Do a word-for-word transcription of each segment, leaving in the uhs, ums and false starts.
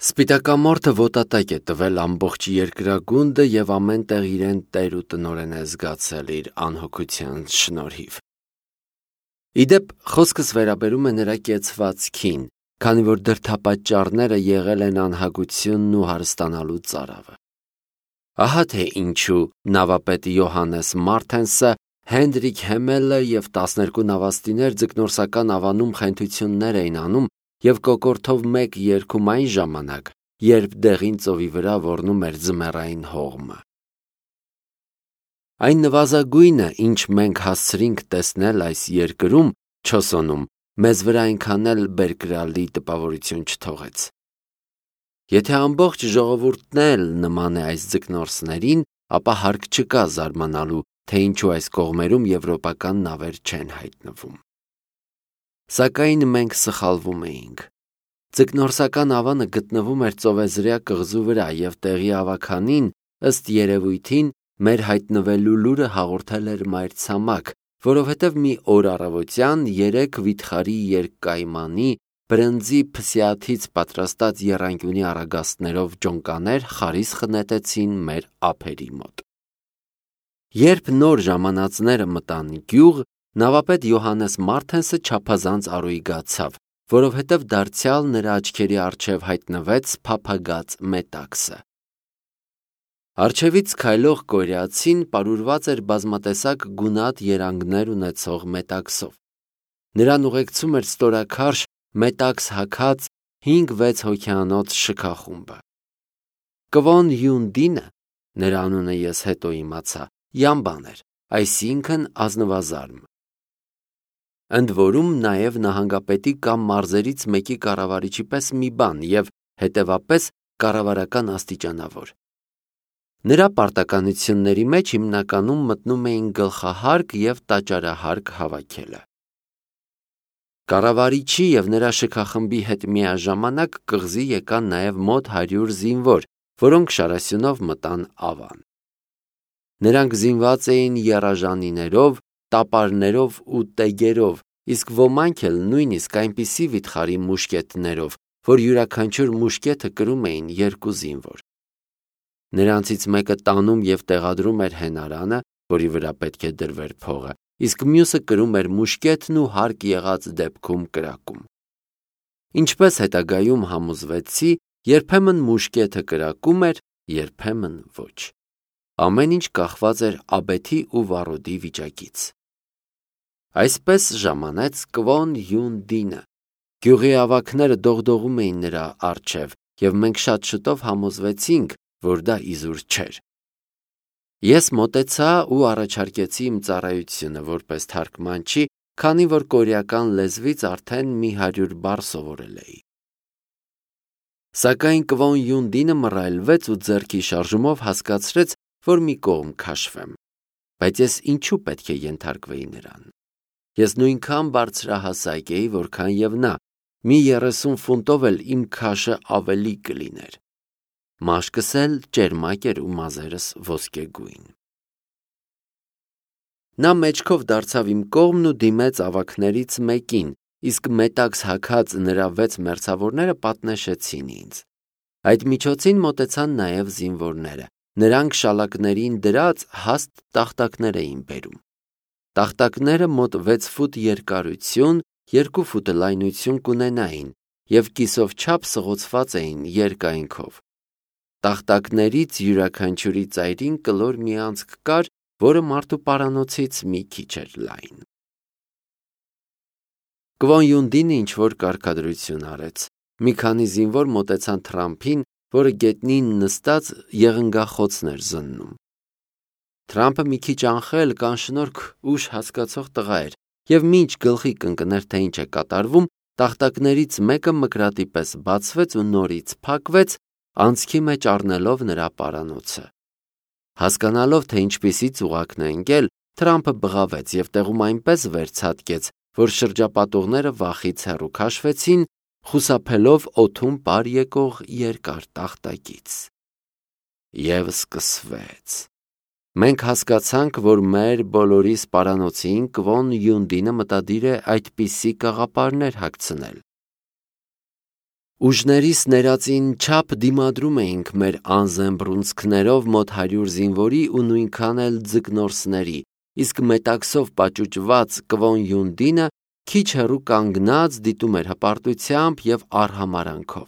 Սպիտակամորթը ոտատակ է տվել ամբողջ երկրագունդը և ամեն տեղ իրեն տեր ու տնօրեն է զգացել իր անհոգության շնորհիվ։ Իդեպ խոսքս վերաբերում է նրա կեցվածքին, քանի որ դրդապատճառները եղել են անհագությունն ու հարստանալու ծարավը։ Ահա թե ինչու նավապետ Յոհաննես Մարթենսը, Հենրիկ Հեմելը և տասներկու նավաստիներ ձկնորսական ավանում խենթություններ էին անում և կոկորդով մեկ երգում այն ժամանակ, երբ դեղին ծովի վրա ոռնում էր ձմեռային հողմը։ Այն նվազագույնը, ինչ մենք հասցրինք տեսնել այս երկրում, Չոսոնում, մեզ վրա այնքան էլ բերկրալի տպավորություն չթողեց։ Եթե ամբողջ ժողովուրդն էլ նման է այս ձկնորսներին, ապա հարկ չկա զարմանալու, թե ինչու այս կողմերում եվրոպական նավեր չեն հայտնվում։ Սակայն մենք սխալվում էինք։ Ձկնորսական ավանը գտնվում էր ծովեզրյա կղզու վրա և տեղի ավագանին, ըստ երևույթին, մեր հայտնվելու լուրը հաղորդել էր մայրցամաք, որովհետև մի օր առավոտյան երեք վիթխարի երկկայմանի բրնձի փսիաթից պատրաստած եռանկյունի առագաստներով ջոնկաներ խարիսխը նետեցին մեր ափերի մոտ։ Երբ նոր ժամանածները մտան գյուղ, նավապետ Յոհաննես Մարթենսը չափազանց առույգացավ, որովհետև դարձյալ նրա աչքերի առջև հայտնվեց փափագած Մետաքսը։ Առջևից քայլող կորյացին պարուրված էր բազմատեսակ գունատ երանգներ ունեցող մետաքսով։ Նրան ուղեկցում էր ստորաքարշ մետաքս հագած հինգ-վեց հոգյանոց շքախումբը։ Կվոն Յունդինը, նրա անունը ես հետո իմացա, յամբան էր, այսինքն ազնվազարմ։ Ընդ որում նաև նահանգապետի կամ մարզերից մեկի կառավարիչի պես մի բան և, հետևապես, կառավարական աստիճանավոր։ Նրա պարտականությունների մեջ հիմնականում մտնում էին գլխահարկ և տաճարահարկ հավաքելը։ Կառավարիչի և նրա շքախմբի հետ միաժամանակ կղզի եկան նաև մոտ հարյուր զինվոր, որոնք շարասյունով մտան ավան։ Նրանք զինված էին եռաժանիներով, տապարներով ու տեգերով, իսկ ոմանք էլ նույնիսկ այնպիսի վիթխարի մուշկետներով, որ յուրաքանչյուր մուշկետը կրում էին երկու զինվոր։ Նրանցից մեկը տանում և տեղադրում էր հենարանը, որի վրա պետք է դրվեր փողը, իսկ մյուսը կրում էր մուշկետն ու հարկ եղած դեպքում կրակում։ Ինչպես հետագայում համոզվեցի, երբեմն մուշկետը կրակում էր, երբեմն ոչ։ Ամեն ինչ կախված էր աբեթի ու վառոդի վիճակից։ Այսպես ժամանեց Կվոն Յունդինը։ Գյուղի ավագները դողդողում էին նրա առջև, և մենք շատ շուտով համոզվեցինք, որ դա իզուր չէր։ Ես մոտեցա ու առաջարկեցի իմ ծառայությունը որպես թարգմանչի, քանի որ կորեական լեզվից արդեն մի հարյուր բառ սովորել էի։ Սակայն Կվոն Յունդինը մռայլվեց ու ձեռքի շարժումով հասկացրեց, որ մի կողմ քաշվեմ։ Բայց ես ինչու պետք է ենթարկվեի նրան։ Ես նույնքան բարձրահասակ էի, որքան և նա, մի երեսուն ֆունտով էլ իմ քաշը ավելի կլիներ։ Մաշկս էլ ճերմակ էր ու մազերս ոսկեգույն։ Նա մեջքով դարձավ իմ կողմն ու դիմեց ավագներից մեկին, իսկ մետաքս հագած նրա վեց մերձավորները պատնեշեցին ինձ։ Այդ միջոցին մոտեցան նաև զինվորները։ Նրանք շալակներին դրած հաստ տախտակներ էին բերում։ Տախտակները մոտ վեց ֆուտ երկարություն, երկու ֆուտ լայնություն կունենային և կիսով չափ սղոցված էին երկայնքով։ Տախտակներից յուրաքանչյուրի ծայրին կլոր մի անցք կար, որը մարդու պարանոցից մի քիչ էր լայն։ Կվոն Յունդինը ինչ-որ կարգադրություն արեց։ Մի քանի զինվոր մոտեցան Թրամփին, որը գետնին նստած եղնգախոցն էր զննում։ Թրամփը մի քիչ անխել, կանշնորհք ուշ հասկացող տղա էր, և մինչ գլխի կընկներ, թե ինչ է կատարվում, տախտակներից մեկը մկրատի պես բացվեց ու նորից փակվեց, անցքի մեջ առնելով նրա պարանոցը։ Հասկանալով, թե ինչպիսի ծուղակն է ընկել, Թրամփը բղավեց և տեղում այնպես վերցատկեց, որ շրջապատողները վախից հեռու քաշվեցին, խուսափելով օդում պար եկող երկար տախտակից։ Եվ սկսվեց։ Մենք հասկացանք, որ մեր բոլորի սպարանոցին Կվոն Յունդինը մտադիր է այդպիսի կաղապարներ հագցնել։ Ուժներիս ներածին չափ դիմադրում էինք մեր անզեն բռունցքներով մոտ հարյուր զինվորի ու նույնքան էլ ձկնորսների, իսկ մետաքսով պաճուճված Կվոն Յունդինը քիչ հեռու կանգնած դիտում էր հպարտությամբ և արհամարանքով։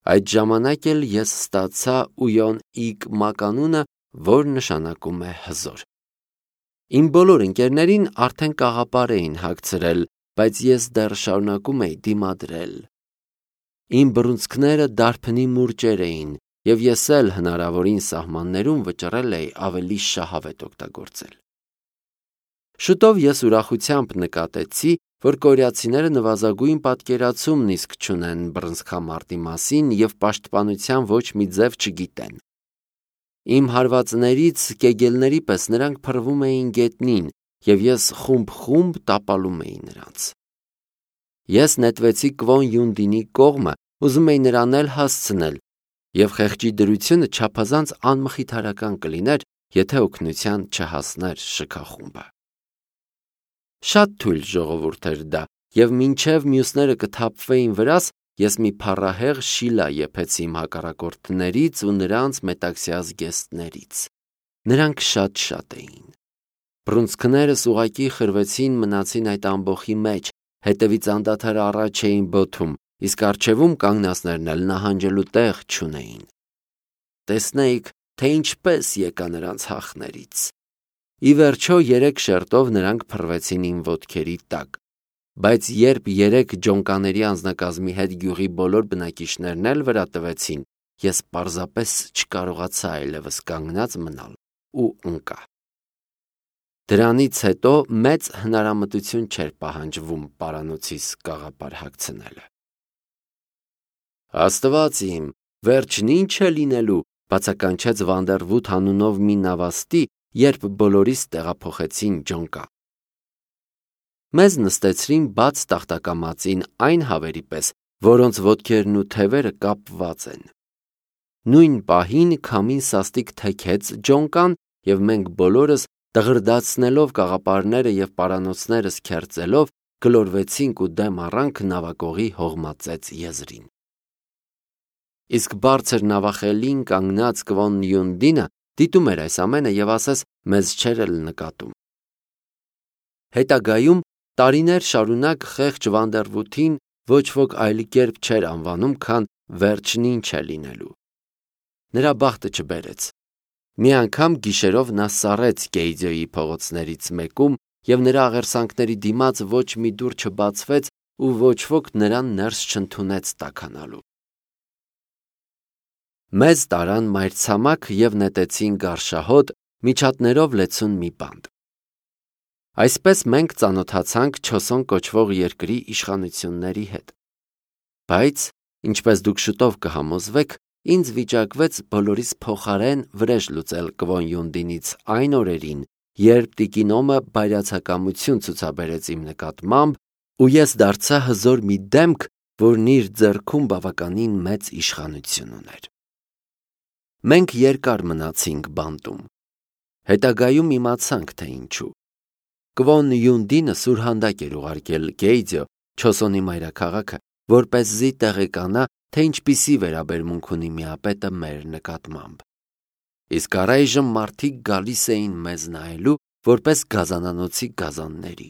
Այդ ժամանակ էլ ես ստացա Ույոն իկ մականունը, որ նշանակում է հզոր։ Իմ բոլոր ընկերներին արդեն կաղապար էին հագցրել, բայց ես դեռ շարունակում էի դիմադրել։ Իմ բռունցքները դարբնի մուրճեր էին, և ես էլ հնարավորին սահմաններում վճռել էի ավելի շահավետ օգտագործել։ Շուտով ես ուրախությամբ նկատեցի, որ կորեացիները նվազագույն պատկերացումն իսկ չունեն բռնցքամարտի մասին և պաշտպանության ոչ մի ձև չգիտեն։ Իմ հարվածներից կեգելների պես նրանք փռվում էին գետնին, և ես խումբ-խումբ տապալում էի նրանց։ Ես նետվեցի Կվոն Յունդինի կողմը, ուզում էի նրան էլ հասցնել, և խեղճի դրությունը չափազանց անմխիթարական կլիներ, եթե օգնության չհասներ շքախումբը։ Շատ թույլ ժողովուրդ էր դա, և մինչև մյուսները կթափվեին վրաս, ես մի փառահեղ շիլա եփեցի իմ հակառակորդներից ու նրանց մետաքսյա զգեստներից։ Նրանք շատ-շատ էին։ Բռունցքներս ուղղակի խրվեցին մնացին այդ ամբոխի մեջ, հետևից անդադար առաջ էին բոթում, իսկ առջևում կանգնածներն էլ նահանջելու տեղ չունեին։ Տեսնեիք, թե ինչպես եկա նրանց հախներից։ Ի վերջո երեք շերտով նրանք փռվեցին իմ ոտքերի տակ, բայց երբ երեք ջոնկաների անձնակազմի հետ գյուղի բոլոր բնակիչներն էլ վրա տվեցին, ես պարզապես չկարողացա այլևս կանգնած մնալ ու ընկա։ Դրանից հետո մեծ հնարամտություն չէր պահանջվում պարանոցիս կաղապար հագցնելը։ Աստված իմ, վերջն ինչ է լինելու, բացականչեց Վանդերվութ անունով մի նավաստի, երբ բոլորիս տեղափոխեցին ջոնկա։ Մեզ նստեցրին բաց տախտակամածին այն հավերի պես, որոնց ոտքերն ու թևերը կապված են։ Նույն պահին քամին սաստիկ թեքեց ջոնկան, և մենք բոլորս, դղրդացնելով կաղապարները և պարանոցներս քերծելով, գլորվեցինք ու դեմ առանք նավակողի հողմածեց եզրին։ Իսկ բարձր նավախելին կանգնած Կվոն Յունդինը դիտում էր այս ամենը և ասես մեզ չէր էլ նկատում։ Հետագայում տարիներ շարունակ խեղճ Վանդերվութին ոչ ոք այլ կերպ չէր անվանում, քան վերջն ինչ է լինելու։ Նրա բախտը չբերեց։ Մի անգամ գիշերով նա սառեց Գեյձոյի փողոցներից մեկում, և նրա աղերսանքների դիմաց ոչ մի դուռ չբացվեց ու ոչ ոք նրան ներս չընդունեց տաքանալու։ Մեզ տարան մայրցամաք և նետեցին գարշահոտ, միջատներով լեցուն մի բանտ։ Այսպես մենք ծանոթացանք Չոսոն կոչվող երկրի իշխանությունների հետ։ Բայց, ինչպես դուք շուտով կհամոզվեք, ինձ վիճակվեց բոլորիս փոխարեն վրեժ լուծել Կվոն Յունդինից այն օրերին, երբ տիկին Օմը բայրացակամություն ցուցաբերեց իմ նկատմամբ, ու ես դարձա հզոր մի դեմք, որն իր ձեռքում բավականին մեծ իշխանություն ուներ։ Մենք երկար մնացինք բանտում։ Հետագայում իմացանք, թե ինչու։ Կվոն Յունդինը սուրհանդակ էր ուղարկել Գեյձո, Չոսոնի մայրաքաղաքը, որպեսզի տեղեկանա, թե ինչպիսի վերաբերմունք ունի միապետը մեր նկատմամբ։ Իսկ առայժմ մարդիկ գալիս էին մեզ նայելու, որպես գազանանոցի գազանների։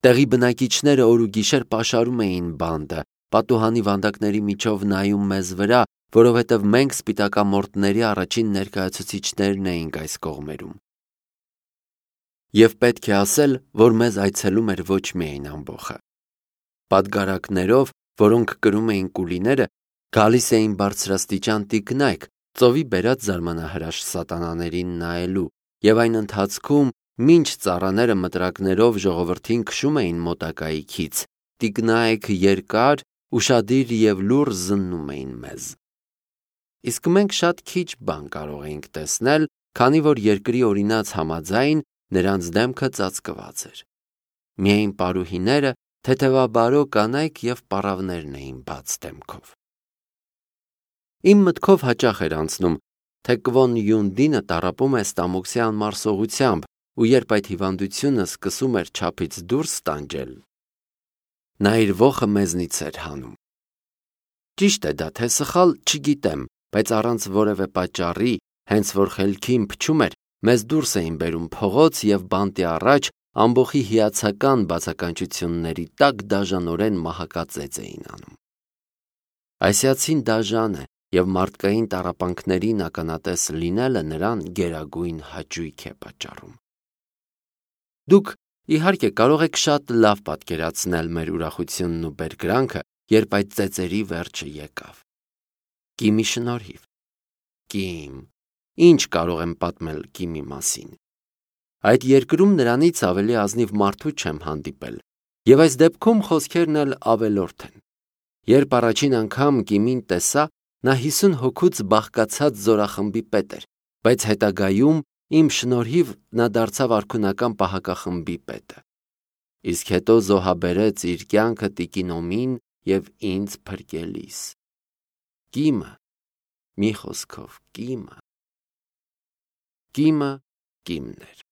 Տեղի բնակիչները օր ու գիշեր պաշարում էին բանտը, պատուհանի վանդակների միջով նայում մեզ վրա, որովհետև մենք սպիտակամորտների առաջին ներկայացուցիչներն էինք այս կողմերում։ Եվ պետք է ասել, որ մեզ այցելում էր ոչ միայն ամբոխը։ Պատգարակներով, որոնք կրում էին կուլիները, գալիս էին բարձրաստիճան տիկնայք, ծովի բերած զարմանահրաշ սատանաներին նայելու, և այն ընթացքում, մինչ ծառաները մտրակներով ժողովրդին քշում էին մոտակայքից, տիկնայք երկար, ուշադիր և լուռ զննում էին մեզ։ Իսկ մենք շատ քիչ բան կարող էինք տեսնել, քանի որ երկրի օրինաց համաձայն նրանց դեմքը ծածկված էր։ Միայն պարուհիները, թեթևաբարո կանայք և պառավներն էին բաց դեմքով։ Իմ մտքով հաճախ էր անցնում, թե Կվոն Յունդինը տառապում է ստամոքսի անմարսողությամբ, ու երբ այդ հիվանդությունը սկսում էր չափից դուրս տանջել, նա իր ոխը մեզնից էր հանում։ Ճիշտ է դա, թե սխալ, չգիտեմ, բայց առանց որևէ պատճառի, հենց որ խելքին փչում էր, մեզ դուրս էին բերում փողոց և բանտի առաջ ամբոխի հիացական բացականչությունների տակ դաժանորեն մահակածեծ էին անում։ Ասիացին դաժան է և մարդկային տառապանքներին ականատես լինելը նրան գերագույն հաճույք է պատճառում։ Դուք, իհարկե, կարող եք շատ լավ պատկերացնել մեր ուրախությունն ու բերկրանքը, երբ այդ ծեծերի վերջը եկավ։ Կիմի շնորհիվ։ Կիմ, ինչ կարող եմ պատմել Կիմի մասին։ Այդ երկրում նրանից ավելի ազնիվ մարդու չեմ հանդիպել, և այս դեպքում խոսքերն էլ ավելորդ են։ Երբ առաջին անգամ Կիմին տեսա, նա հիսուն հոգուց բաղկացած զորախմբի պետ էր, բայց հետագայում իմ շնորհիվ նա դարձավ արքունական պահակախմբի պետը։ Իսկ հետո զոհաբերեց իր կյանքը տիկին Օմին և ինձ փրկելիս։ Կիմը, մի խոսքով, Կիմը։ Կիմը Կիմն էր։